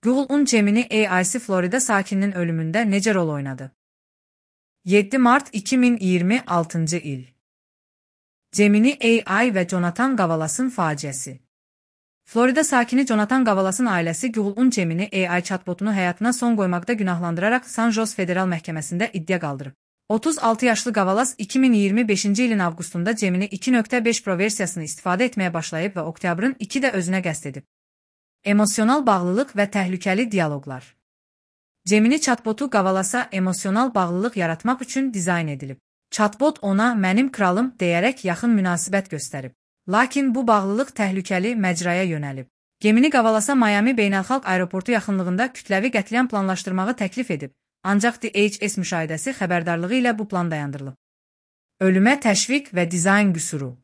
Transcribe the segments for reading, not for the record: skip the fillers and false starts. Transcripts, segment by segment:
Google'un Gemini AI'si Florida sakininin ölümündə necə rol oynadı? 7 Mart 2026 il. Gemini AI və Jonathan Gavalas'ın faciəsi. Florida sakini Jonathan Gavalas'ın ailəsi Google'un Gemini AI chatbotunu həyatına son qoymaqda günahlandıraraq San Jose Federal Məhkəməsində iddia qaldırıb. 36 yaşlı Gavalas 2025-ci ilin avqustunda Gemini 2.5 Pro versiyasını istifadə etməyə başlayıb və oktyabrın 2-də özünə qəsd edib. Emosional bağlılıq və təhlükəli dialoqlar. Gemini chatbotu Gavalasa emosional bağlılıq yaratmaq üçün dizayn edilib. Chatbot ona "mənim kralım" deyərək yaxın münasibət göstərib. Lakin bu bağlılıq təhlükəli məcraya yönəlib. Gemini Gavalasa Miami beynəlxalq aeroportu yaxınlığında kütləvi qətliam planlaşdırmağı təklif edib, ancaq DHS müşahidəsi xəbərdarlığı ilə bu plan dayandırılıb. Ölümə təşviq və dizayn qüsuru.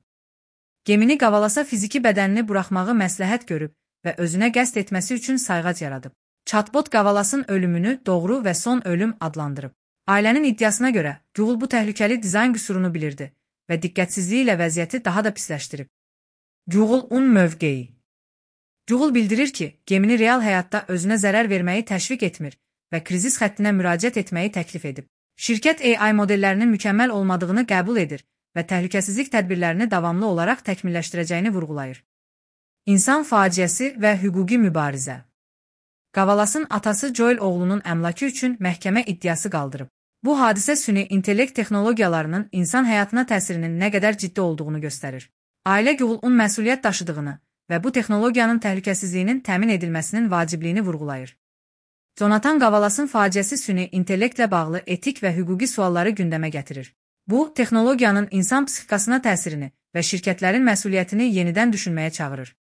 Gemini Gavalasa fiziki bədənini buraxmağı məsləhət görüb və özünə qəsd etməsi üçün sayğac yaradıb. Chatbot Gavalas'ın ölümünü doğru və son ölüm adlandırıb. Ailənin iddiasına görə Google bu təhlükəli dizayn qüsurunu bilirdi və diqqətsizliyi ilə vəziyyəti daha da pisləşdirib. Google'un mövqeyi. Google bildirir ki, Gemini real həyatda özünə zərər verməyi təşviq etmir və krizis xəttinə müraciət etməyi təklif edib. Şirkət AI modellərinin mükəmməl olmadığını qəbul edir və təhlükəsizlik tədbirlərini davamlı olaraq təkmilləşdirəcəyini vurğulayır. İnsan faciəsi və hüquqi mübarizə. Gavalas'ın atası Joel oğlunun əmlakı üçün məhkəmə iddiası qaldırıb. Bu hadisə süni intellekt texnologiyalarının insan həyatına təsirinin nə qədər ciddi olduğunu göstərir. Ailə Google'un məsuliyyət daşıdığını və bu texnologiyanın təhlükəsizliyinin təmin edilməsinin vacibliyini vurğulayır. Jonathan Gavalas'ın faciəsi süni intellektlə bağlı etik və hüquqi sualları gündəmə gətirir. Bu, texnologiyanın insan psixikasına təsirini və şirkətlərin məsuliyyətini yenidən düşünməyə çağırır.